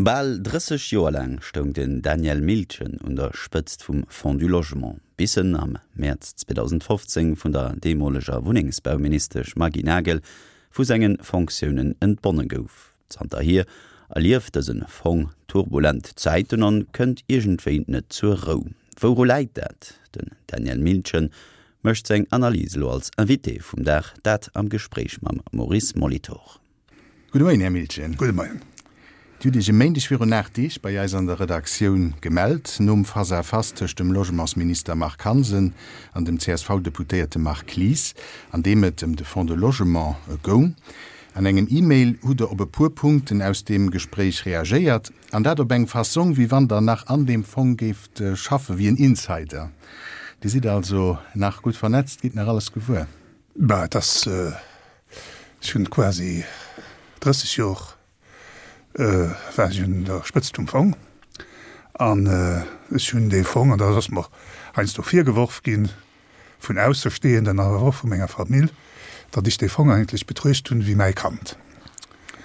Bal 30 Joer laang stoung den Daniel Miltgen un der Spëtzt vum Fonds du Logement, bis en am Mäerz 2015 vun der deemoleger Wunnengsbauministesch Maggy Nagel vu senge Fonctiounen entbonne gouf. Zanterhier erlieft dëse Fong turbulent Zäiten an kënnt iergendwéi net zur Rou. Wouru läit dat? Den Daniel Miltgen mécht seng Analys elo als Invité vum Dag, dat am Gespréich mam Maurice Molitor. Gudde Moien, Här Miltgen. Gudde Moien. Dir hutt Iech e Méindeg virun 8 Deeg bei eis an der Redaktioun gemellt, nom Face-à-face tëscht dem Logementsminister Marc Hansen an dem CSV-Deputéierte Marc Lies, an deem et ëm de Fonds de Logement goung. An engem E-Mail hutt Der op e puer Punkten aus deem Gespréich reagéiert, an dat op eng Fassong, wéi wann Der nach an deem Fong géift schaffen, wéi en Insider. Dir sidd also nach gutt vernetzt, gitt nach alles gewuer? Bah, et ass, ech hunn quasi 30 Jor war ech un der Spëtzt vum Fong an ech hunn dee Fong, an dat ass mer heiansdo virgeworf ginn vun Aussestehenden, awer och vu menger Famill, datt ech dee Fong eigentlech betruecht hunn wéi mäi Kand.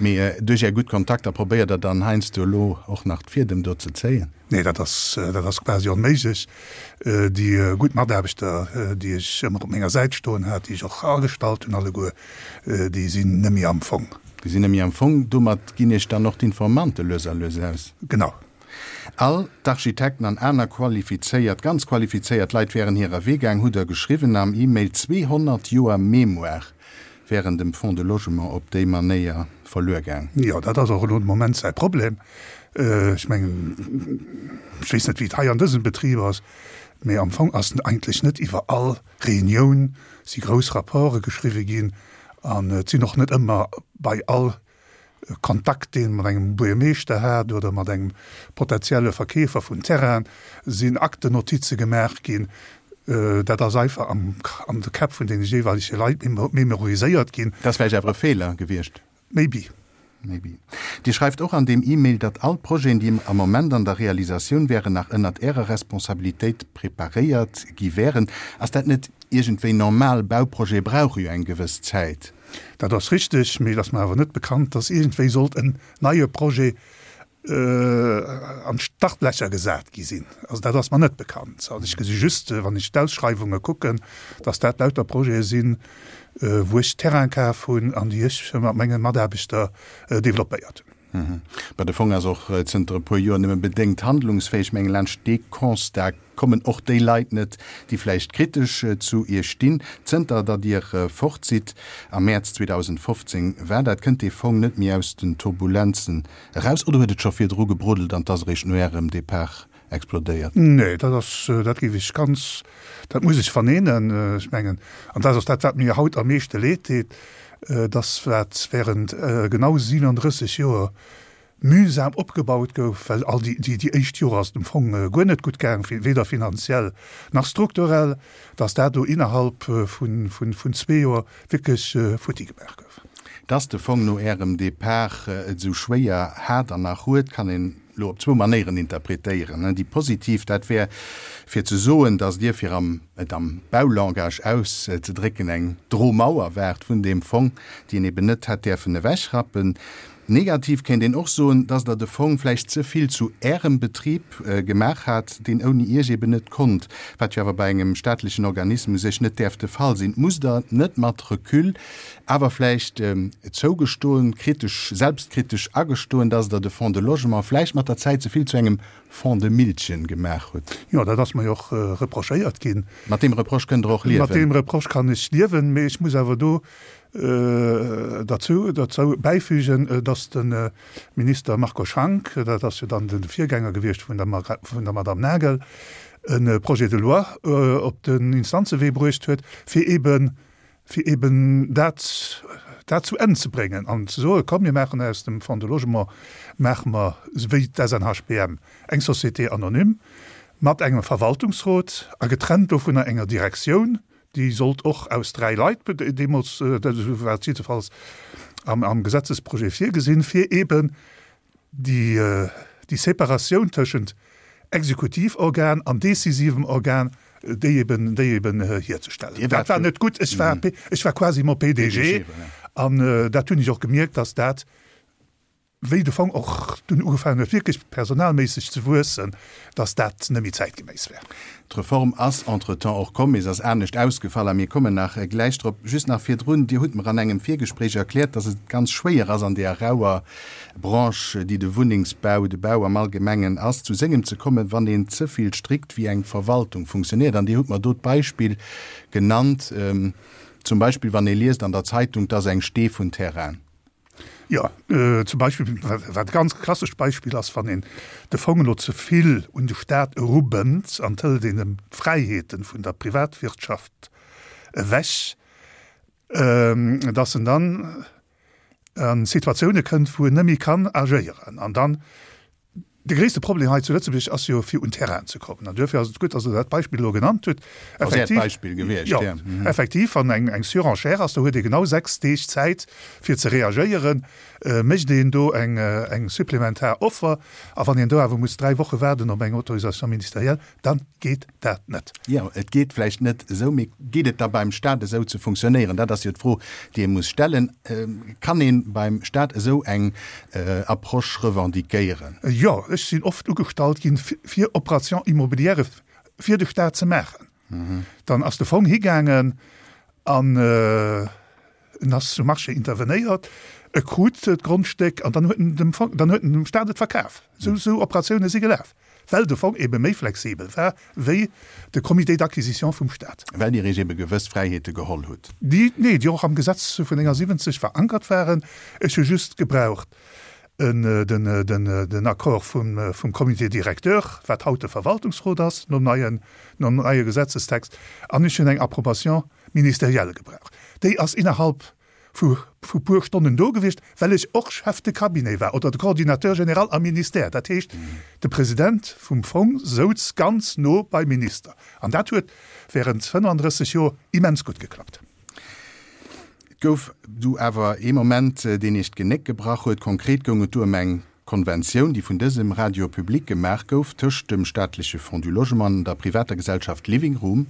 Mee duerch Är gutt Kontakter probéiert Der dann heiansdo elo och nach d'Fiedem do ze zéien? Nee, dat ass, dat ass quasi onméiglech. Déi gutt Mataarbechter, déi ech ëmmer op menger Säit stoen hat, déi ech och agestallt hunn alleguer, déi sinn net méi am Fong. Déi sinn net méi am Fong. Domat ginn Iech dann och d'Informante lues a lues aus? Genau. All d'Architekten an aner qualifizéiert, ganz qualifizéiert Leit wären hirer Wee gaang, hutt Der geschriwwen am E-Mail. 200 Joer Mémoire wären dem Fonds de Logement op déi Manéier verluer gaang. Jo, dat ass och elo de Moment säi Problem. Ech mengen, ech weess net, wéi et hei an dësem Betrib ass, mee am Fong ass eigentlech net iwwer all Reunioun si grouss Rapporte geschriwwe ginn an et sinn och net ëmmer bei all Kontakt, deen mat engem Buergermeeschter hat oder mat engem potenzielle Verkeefer vun Terrainen, sinn Aktennotize gemaach ginn. Dat ass einfach am an de Käpp vun deene jeeweilege Leit memoriséiert ginn. Dat ass vläicht awer e Feeler gewiescht? Maybe. Maybe. Dir schreift och an deem E-Mail, datt all d'Projeten, déi am Moment an der Realisatioun wären, nach ënnert Ärer Responsabilitéit preparéiert gi wären. Ass dat net iergendwéi normal? Bauprojete brauche jo eng gewëss Zäit. Dat ass richteg, mee et ass mer awer net bekannt, dass iergendwéi sollt en neie Projet an d'Startlächer gesat gi sinn. Also dat ass mer net bekannt. Also ech gesi just, wann ech d'Ausschreiwunge kucken, dass dat lauter Projete sinn, wou ech Terrain kaf hunn an déi ech mat menge Mataarbechter developpéiert hunn. Mä de Fong ass och zënter e puer Joer nëmme bedéngt handlungsfäeg. Mengen, laanscht dee Constat kommen och déi Leit net, déi vläicht kritesch zu Iech stinn. Zënter datt Dir fort sidd, am Mäerz 2015 war dat, kënnt dee Fong net méi aus den Turbulenzen eraus. Oder huet et scho virdru gebruddelt an 't ass eréischt no Ärem Depart explodéiert? Nee, dat ass, dat géif ech ganz, dat muss ech verneenen. Ech mengen, an dat ass dat, wat mir haut am meeschte leed deet, dass wat während genau 37 Joer mühsam opgebaut gouf, well all déi, déi éischt Joer ass et am Fong guer net gutt gaang, weder finanziell nach strukturell, dass dat elo innerhalb vun, vun, vun zwee Joer wierklech futti gemaach gouf. Dass de Fong no Ärem Depart et esou schwéier hat an nach huet, kann een elo op zwou Manéieren interpretéieren. Déi positiv, dat wär fir ze soen, datt Dir, fir am et am Baulangage auszedrécken, eng Dromauer waart vun deem Fong, déi een eben net hätt däerfen ewechrappen. Negativ kéint een och soen, datt Der de Fong vläicht ze vill zu Ärem Betrib gemaach hat, deen ouni Iech eben net konnt, wat jo awer bei engem staatlechen Organisme u sech net däerf de Fall sinn. Musst Der net mat Recul Awer vläicht zougestoen, kritesch, selbstkritesch agestoen, dass Der de Fonds de Logement vläicht mat der Zäit ze vill zu engem Fonds de Miltgen gemaach hutt. Jo, dat ass mer jo och reprochéiert ginn. Mat deem Reproche kënnt Der och liewen? Mat deem Reproche kann ech liewen, mee ech muss awer do derzou, derzou bäifügen, dass de Minister Marco Schank, dat ass jo dann de Virgänger gewiescht vun der, vun der Madame Nagel, e Projet de loi op den Instanzewee bruecht huet, fir eeben fir eben dat, dat zu Enn ze bréngen an ze soen, komm mir maachen aus dem Fonds de Logement, maache mer wéi d'SNHBM eng Société anonyme mat engem Verwaltungsrot a getrennt dovunner enger Direktioun, déi sollt och aus dräi Leit, deemools, dat war et jiddefalls am, am Gesetzesprojet virgesinn, fir eben déi, déi Separatioun tëschent Exekutivorgan an decisivem Organ, déi eben, déi eben hierzestellen. Dat war net gutt. Ech war, ech war quasi mon PDG an dat hunn ech och gemierkt, dass dat. Wéi de Fong och dunn ugefaangen huet wierklech personalméisseg ze wuessen, datt dat net méi zäitgeméiss wär. D'Reform ass entretemps och komm, mee se ass anescht ausgefall a mir kommen nach gläich drop. Just nach virdrun, Dir hutt mer an engem Virgespréich erkläert, datt et ganz schwéier ass an deeër rauer Branche, déi de Wunnengsbau, de Bau am Allgemengen ass, zu sengem ze kommen, wann een ze vill strikt wéi eng Verwaltung funktionéiert. An Dir hutt mer do d'Beispill genannt, zum Beispill wann ee liest an der Zeitung, 't ass eng Stee vun Terrain. Jo, zum Beispill, wat e ganz klassescht Beispill ass, wann een de Fong elo ze vill un de Staat erubënnt an et hëlt een em d'Fräiheete vun der Privatwirtschaft ewech, dass en dann a Situatioune kënnt, wou en net méi kann agéieren. An dann De gréisste Problem hei zu Lëtzebuerg ass jo, fir un Terrainen ze kommen. An duerfir ass et gutt, dass Der dat Beispill elo genannt hutt. Ass Äert Beispill gewiescht, jo. Effektiv, wann eng Surenchère ass, do huet ee genau 6 Deeg Zäit, fir ze reagéieren. Mécht een do eng supplementar Offer, a wann een do awer muss 3 Woche waarden op eng Autorisation ministérielle, dann geet dat net. Jo, et geet vläicht net esou, mee geet et da beim Stat esou ze funktionéieren? Dat ass jo d'Fro, déi ee muss stellen. Kann ee beim Stat esou eng Approche revendiquéieren? Jo, ech sinn oft ugestallt ginn, fir Opérations immobilières fir de Stat ze maachen. Dann ass de Fong higaangen an en ass um Marché intervenéiert, e krut d'Grondstéck an dann huet en dem Fong, dann huet en dem Stat et verkaf. Esou Operatioune si gelaf. Well de Fong ebe méi flexibel war wéi de Comité d'acquisition vum Stat. Well Dir Iech ebe gewëss Fräiheete geholl hutt. Déi, nee, déi och am Gesetz vun 79 verankert waren. Ech hu just gebraucht den Accord vum Comité directeur, wat haut de Verwaltungsrot ass, nom neien, nom neie Gesetzestext, an ech hunn eng Approbation ministérielle gebraucht. Déi ass innerhalb vu vu puer Stonnen do gewiescht, well ech och Chef de cabinet war oder de Coordinateur général am Ministère. Dat heescht, de President vum Fong souz ganz no beim Minister. An dat huet während 35 Joer immens gutt geklappt. Et gouf du awer ee Moment, deen Iech d'Genéck gebrach huet. Konkret goung et du ëm eng Konventioun, déi vun dësem Radio public gemaach gouf tëscht dem staatleche Fonds du Logement an der privater Gesellschaft Living Room.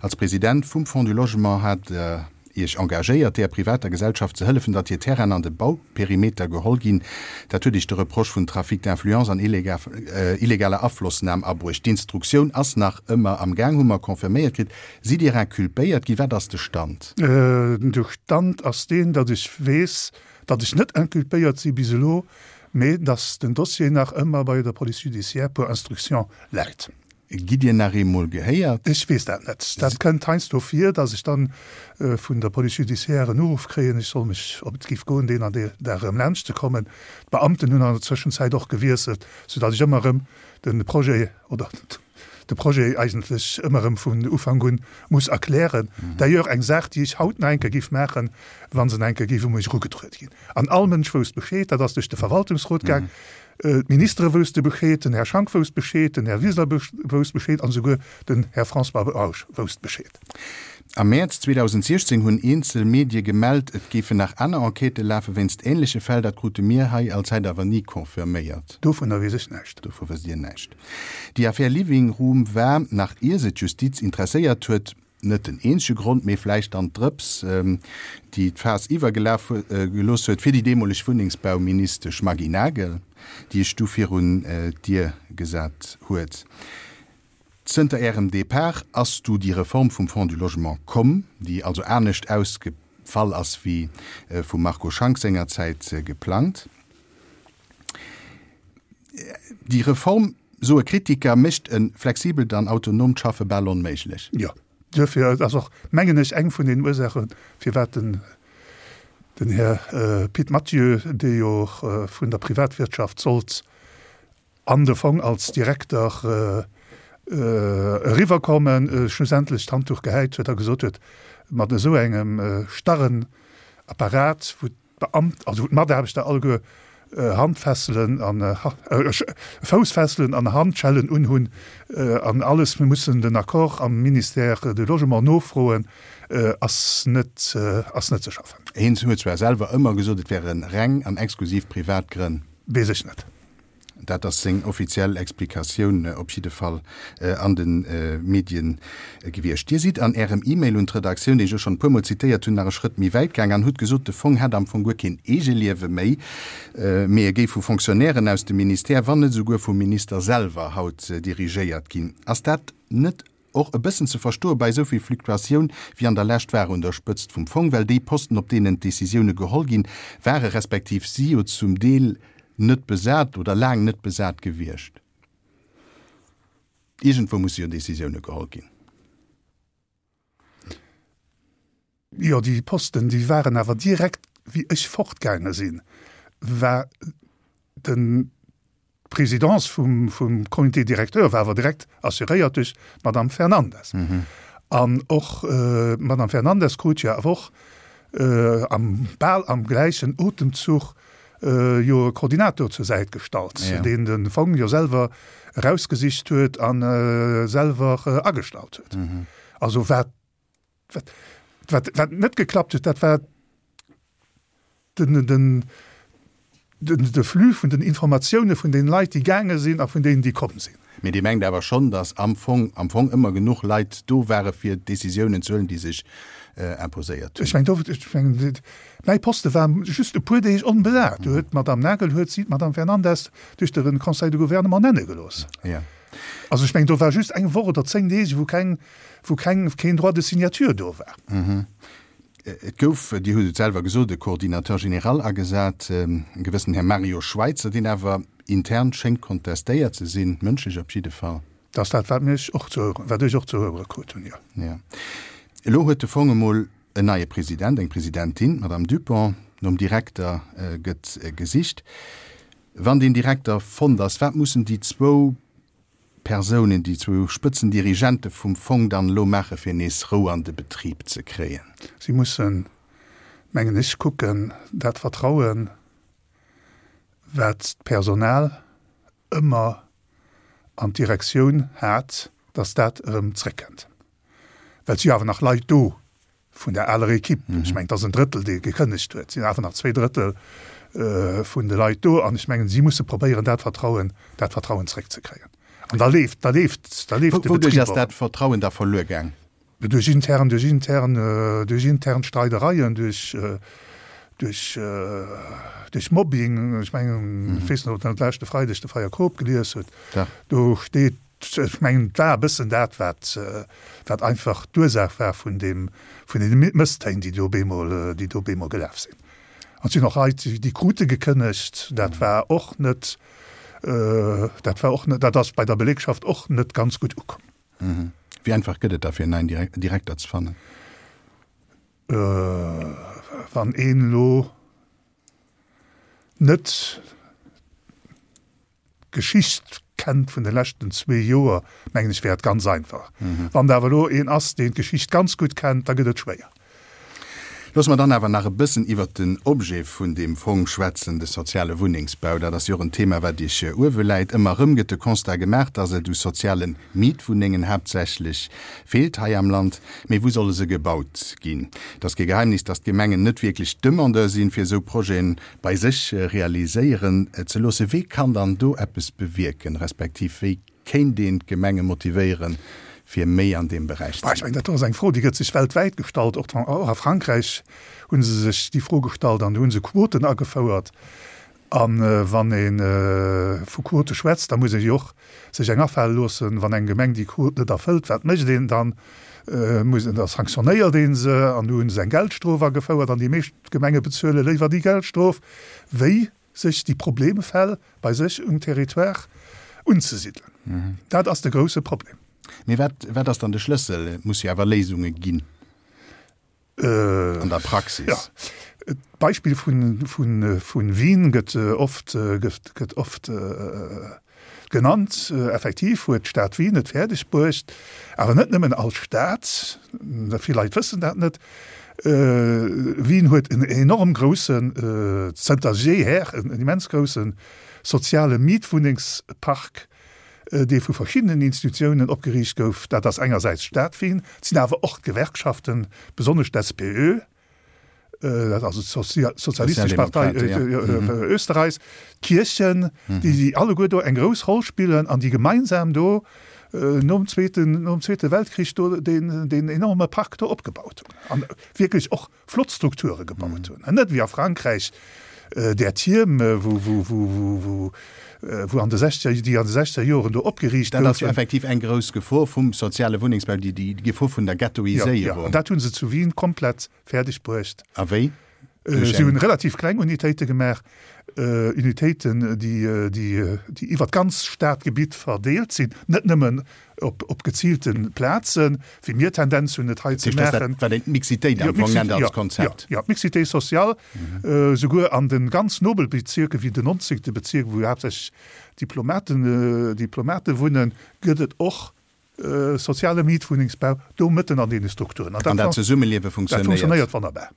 Als President vum Fonds du Logement hat Der Iech engagéiert, deeër privater Gesellschaft ze hëllefen, datt hir Terrainen an de Bauperimeter geholl ginn. Dat huet Iech de Reproche vun Trafic d'influence an illegaler Aflossnam abruecht. D'Instruktioun ass nach ëmmer am Gaang, hu mer confirméiert kritt. Sidd Dir inculpéiert ginn? Wat ass de Stand? De Stand ass deen, datt ech weess, datt ech net inculpéiert si bis elo, mee datt den Dossier nach ëmmer bei der Police judiciaire pour instruction läit. Gitt Dir nach eemol gehéiert? Ech weess dat net. Dat kënnt heiansdo vir, datt ech dann vun der Police judiciaire en Uruff kréien, ech soll mech, ob et géif goen, deen an dee Dag erëm laanscht ze kommen. D'Beamten hunn an der Zwëschenzäit och gewiesselt, soudatt ech ëmmer erëm de Projet oder de Projet eigentlech ëmmer erëm vun Ufank un muss erklären. D'ailleurs eng Saach, déi ech haut nach eng Kéier géif maachen, wa se nach eng Kéier géif u mech erugetruede ginn. An all Mënsch wousst Bescheed, dat ass duerch de Verwaltungsrot gaang, d'Ministere wousste Bescheed, den Här Schank wousst Bescheed, den Här Wiseler wousst Bescheed an esouguer den Här François Bausch wousst Bescheed. Am Mäerz 2016 hunn eenzel Medie gemellt, et géifen nach aner Enquêtë lafe wéinst änleche Fäll. Dat krute mir hei als Zäit awer ni confirméiert. Dovunner weess ech näischt. Dovu wësst Dir näischt. Déi Affär Living Room war, nach ier se d'Justiz interesséiert huet, net den eenzege Grond, mee vläicht dann d'Drëps, déi d'Faass iwwergelaf gelooss huet fir déi deemoleg Wunnengsbauministesch Maggy Nagel, déi ech du virun d'Dier gesat huet. Zënter Ärem Depart ass du déi Reform vum Fonds du Logement komm, déi also anescht ausgefall ass wéi vum Marco Schank sengerzäit geplangt. Déi Reform, soe Kritiker, mécht e flexibelt an autonoomt Schaffe bal onméiglech. Jo, duerfir, et ass och, mengen ech, eng vun den Ursaachen, firwat den den Här Pit Mathieu, dee jo vun der Privatwirtschaft sollt an de Fong als Direkter eriwwerkommen, schlussendlech d'Handduch gehäit huet a gesot huet, mat esou engem starren Apparat, wou d'Beamt, also wou d'Mataarbechter alleguer Handfesselen an Foussfesselen an Handschellen unhunn an alles mussen den Accord am Ministère du Logement nofroen, ass net, ass net ze schaffen. Hien huet zwar selwer ëmmer gesot, et wäre reng an exklusiv privat Grënn. Weess ech net. Dat ass seng offiziell Explikatioun op jidde Fall an de Medien gewiescht. Dir sidd an Ärem E-Mail un d'Redaktioun, deen ech elo schonn e puermol zitéiert hunn, nach e Schrëtt méi wäit gaang an hutt gesot, de Fong hätt am Fong guer keen Eegeliewe méi, mee e géif vu Fonctionnairen aus dem Ministère, wann net esouguer vum Minister selwer haut dirigéiert ginn. Ass dat net och e bëssen ze verstoe bei esou vill Fluktuatioun wéi an der Lescht war un der Spëtzt vum Fong, well déi Posten, op deenen d'Decisioune geholl ginn, ware respektiv si jo zum Deel net besat oder laang net besat gewiescht. Iergendwou musse jo Decisioune geholl ginn. Jo, déi Posten, déi waren awer direkt, wéi ech fortgaange sinn, war den, d'Présidence vum, vum Comité directeur war awer direkt assuréiert duerch d'Madame Fernandes. An och d'Madame Fernandes krut jo awer och am, bal am gläichen Otemzuch jo e Koordinator zur Säit gestallt, deen de Fong jo selwer erausgesicht huet a selwer agestallt huet. Also wat Wat, wat, wat net geklappt huet, dat war den, den, den, de Flux vun den Informatioune vun den Leit, déi gaange sinn a vun deenen, déi komm sinn. Mee Dir mengt awer schonn, datt am Fong, am Fong ëmmer genuch Leit do ware fir Décisiounen ze huelen, déi sech imposéiert hunn? Ech mengen, do, ech mengen, mäi Poste war just e puer Deeg onbesat. Do huet d'Madame Nagel huet si d'Madame Fernandes duerch de Conseil de Gouvernement nenne gelooss. Jo. Also ech mengen, do war just eng Woch oder 10 Deeg, wou keng, wou keng, keen Droit de signature do war. Et gouf, Dir hutt et selwer gesot, e Coordinateur général agesat, e gewëssen Här Mario Schweitzer, deen awer intern schéngt kontestéiert ze sinn, mënschlech op jidde Fall. Dat ass dat, wat mir och ze héieren, wat ech och ze héiere krut hunn, jo. Jo. Elo huet de Fong emol en neie President, eng Presidentin, d'Madame Dupont. Nom Direkter gëtt gesicht. Wann deen Direkter fonnt ass, wat mussen déi zwou Persounen, déi zwou Spëtzendirigente vum Fong dann elo maache fir nees Rou an de Betrib ze kréien? Si mussen, mengen ech, kucken, dat Vertrauen, wat d'Personal ëmmer an d'Direktioun hat, datt dat erëm zréckkënnt. Well et si jo awer nach Leit do, vun der aler Equipe, ech mengen, et ass en Drëttel, dee gekënnegt huet, sinn awer nach zwee Drëttel vun de Leit do an ech mengen, si musse probéieren, dat Vertrauen, dat Vertrauen zréckzekréien. An da leeft, da leeft, da leeft de Wouduerch Betrib ass och. dat Vertrauen da verluer gaang? Duerch intern, duerch intern, duerch intern Streidereien, duerch, duerch, duerch Mobbing. Ech mengen, ech weess net, ob Der dat leschte Freideg de Freier Coop gelies hutt. Dach. Do steet Ech mengen, et war e bëssen dat, wat, wat einfach d'Ursaach war vun deem, vun deene Mësstéin, déi do op eemol, déi do op eemol gelaf sinn. An et sinn och Leit, déi krute gekënnegt. Dat war och net, dat war och net, dat ass bei der Belegschaft och net ganz gutt ukomm. Wéi einfach gëtt et da fir en neien Direkter ze fannen? Wann een elo net d'Geschicht kennt vun de leschten zwee Joer, mengen ech, wär et ganz einfach. Wann et awer elo een ass, deen d'Geschicht ganz gutt kennt, da gëtt et schwéier. Loosse mer dann awer nach e bëssen iwwert den Objet vun deem Fong schwätzen, de soziale Wunnengsbau. Dat ass jo och en Thema, wat Iech uewe läit. Ëmmer erëm gëtt de Constat gemaach, dass et u soziale Mietwunnengen haaptsächlech feelt hei am Land. Mee wou solle se gebaut ginn? Et ass kee Geheimnis, dass d'Gemengen net wierklech Demandeur sinn, fir esou Projeten bei sech realiséieren ze loossen. Wee kann dann do eppes bewierken, respektiv wéi kéint een d'Gemenge motivéieren, fir méi an deem Beräich ze Ech mengen, dat ass eng Fro, déi gëtt sech weltwäit gestallt. Och a Frankräich hu se sech déi Fro gestallt an do hu se Quoten agefouert. A wann ee vu Quote schwätzt, da muss ee jo och sech eng afale loossen, wann eng Gemeng déi Quot net erfëllt, wat mécht een dann? Muss een, da sanktionéiert ee se an do hu se eng Geldstrof agefouert an déi meescht Gemenge bezuele léiwer déi Geldstrof, wéi sech déi Problemfäll bei sech um Territoire unzesidelen. Dat ass de grousse Problem. Mee wat, wat ass dann de Schlëssel? Et muss jo awer Léisunge ginn an der Praxis. Jo, d'Beispill vun Wien gëtt oft, gëtt oft genannt. Effektiv huet d'Stad Wien et fäerdeg bruecht, awer net nëmmen als Stad, vill Leit wëssen dat net, Wien huet en enorm groussen, zënter jeeher en immens grousse soziale Mietwunnengspark, dee vu verschiddenen Institutiounen opgeriicht gouf. Dat ass engersäits d'Stad Wien, et sinn awer och d'Gewerkschaften, besonnesch d'SPÖ. dat also d'Sozialistesch Partei Österreichs, d'Kierchen, déi alleguer do eng grouss Roll spillen an déi gemeinsam do nom Zweeten, nom Zweete Weltkrich do deen, deen enorme Park do opgebaut hunn an wierklech och flott Strukture gebaut hunn. An net wéi a Frankräich där Tierm, wou, wou, wou, wou, wou an de sechzeger, déi an de sechzeger Joren do opgeriicht goufen. Dat ass jo effektiv eng grouss Gefor vum soziale Wunnengsbau, déi, déi Gefor vun der Ghettoiséierung. Jo, jo, an dat hu se zu Wien komplett fäerdeg bruecht. A wéi? Si hunn relativ kleng Unitéite gemaach, Unitéiten, déi, déi, déi iwwer d'ganz Stadgebitt verdeelt sinn, net nëmmen op, op geziilte Plazen, wéi mir Tendenz hunn, et hei ze maachen. Dat, wat een d'Mixitéit am Fong nennt als Konzept. Jo, jo, d'Mixité sociale, souguer an de ganz nobel Bezierken, wéi den 19. Bezierk, wou haaptsächlech Diplomaten, Diplomate wunnen, gëtt et och Soziale Mietwunnengsbau do mëtten an deene Strukturen. An dat Zesummeliewe funktionéiert. Dat funktionéiert wonnerbar.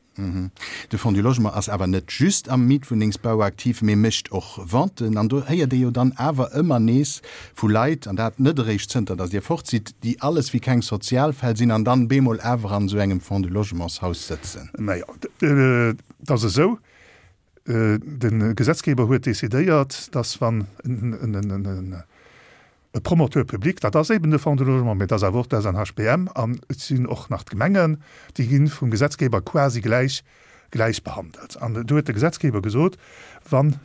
De Fonds du Logement ass awer net just am Mietwunnengsbau aktiv, mee mécht och Venten. An do héiert ee jo dann awer ëmmer nees vu Leit, an dat net eréischt zënter datt Dir fort sidd, déi alles wéi keng Sozialfäll sinn an dann bemol awer an esou engem Fonds du Logementshaus sëtzen. Naja, et ass esou, De Gesetzgeber huet decidéiert, dass wann e Promoteur public, dat ass eben de Fonds de Logement, mä et ass awer och d'SNHBM an et sinn och nach d'Gemengen, déi gi vum Gesetzgeber quasi gläich gläich behandelt. An do huet de Gesetzgeber gesot, wann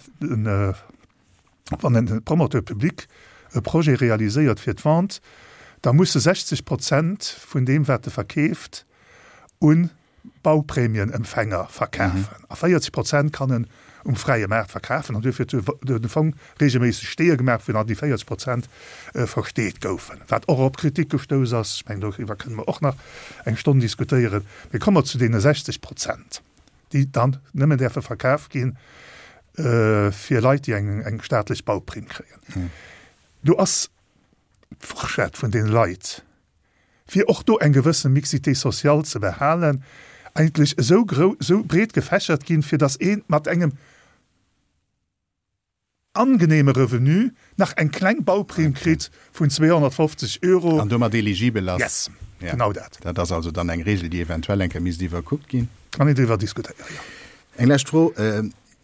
wann e Promoteur public e Projet realiséiert fir d'Vente, da muss e 60 Prozent vun deem wat e verkeeft un Bauprämienempfänger verkafen a 40 Prozent kann en um fräie Maart verkafen. An duerfir huet de Fong regelméisseg Steeë gemaach, wou dann déi 40 Prozent versteet goufen, wat och op Kritik gestouss ass. Ech mengen, doriwwer kënne mer och nach eng Stonn diskutéieren. Mee komme mer zu deene 60 Prozent, déi dann nëmmen däerfe verkaf gi fir Leit, déi eng staatlech Bauprimm kréien. Do ass d'Forschett vun deene Leit, fir och do eng gewësse Mixité sociale ze behalen, eigentlech esou grou, esou breet gefächert ginn, fir datt ee mat engem angenehme Revenu nach eng kleng Bauprimm kritt vun 250 Euro. An domat eligibel ass. Yes, genau dat. Dat ass also dann eng Regel, déi eventuell eng Kéier misst iwwerkuckt ginn. Kann een driwwer diskutéieren, jo. Eng lescht Fro,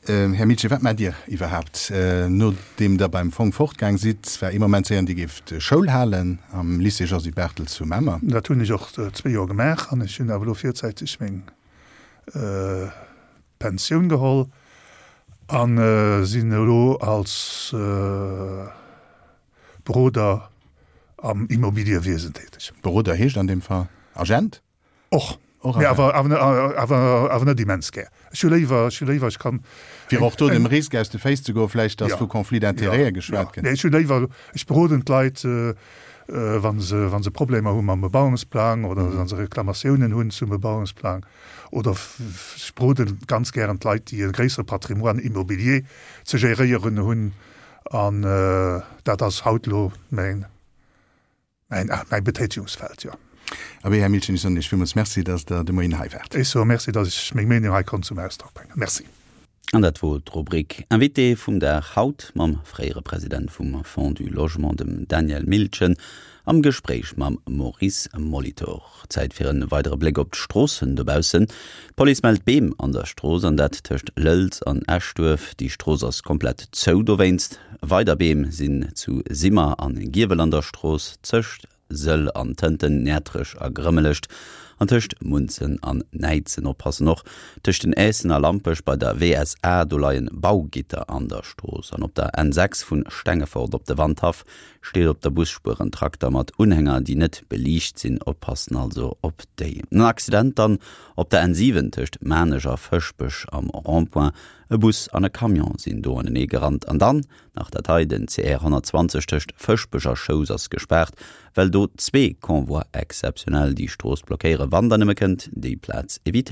Här Mitschi, wat maacht Dir iwwerhaapt, nodeem Der beim Fong fortgaang sidd? War ee Moment ze héieren, Dir géift Schoul halen am Lycée Josy Barthel zu Mamer. Dat hunn ech och zwee Joer gemaach an ech hunn awer elo virzäiteg meng Pensioun geholl a sinn elo als Beroder am Immobiliewiesen täteg. Beroder heescht an deem Fall Agent? Och, mee awer, awer, awer net immens gär. Ech hu léiwer, ech hu léiwer, ech kann. Fir och do dem Risk aus de Féiss ze goen, vläicht, datt vu Conflit d'intérêtë geschwat gëtt. Nee, ech hu léiwer, ech beroden d'Leit, wa se, wa se Problemer hu mam Bebauungsplang oder wa se Reklamatiounen hunn zum Bebauungsplang oder ech beroden ganz gären d'Leit, déi e gréissere Patrimoine immobilier ze géréieren hunn an dat ass haut elo mäin. Mäin, mäi Betätigungsfeld, jo. Abee, Här Milchen, ech soen Iech villmools Merci, dass Der de Moien hei waart. Ech soe Merci, dass ech meng Meenung hei konnt zum Ausdrock bréngen. Merci. An dat wor d'Rubrik Invité vum Dag haut mam fréiere President vum Fonds du Logement, dem Daniel Miltgen, am Gespréich mam Maurice Molitor. Zäit fir en weidere Bléck op d'Stroossen dobaussen. D'Police mellt Beem an der Strooss, an dat tëscht Lëlz an Eschduerf. Déi Strooss ass komplett zou dowéinst. Weider Beem sinn zu Simmer an Giewel an der Strooss, tëscht Sëll an Tënten, Näertrech a Grëmmelecht an tëscht Munzen an Näidsen. Oppassen och tëscht den Aessen a Lampech bei der WSA, do leien Baugitter an der Strooss. An op der N6 vun Stengefort op de Wandhaff Steet op der Busspuer en Trakter mat Unhänger déi net beliicht sinn, oppassen also op déi. En Accident dann op der N7 tëscht Maarnech a Fëschbech am Rond-point. E Bus an e Camion sinn do anenee gerannt. An dann nach dat hei, den CR 120 tëscht Fëschbech a Schous ass gespaart, well do zwee Convois exceptionnels déi Strooss blockéieren. Wann der nëmme kënnt, déi Plaz evitéieren.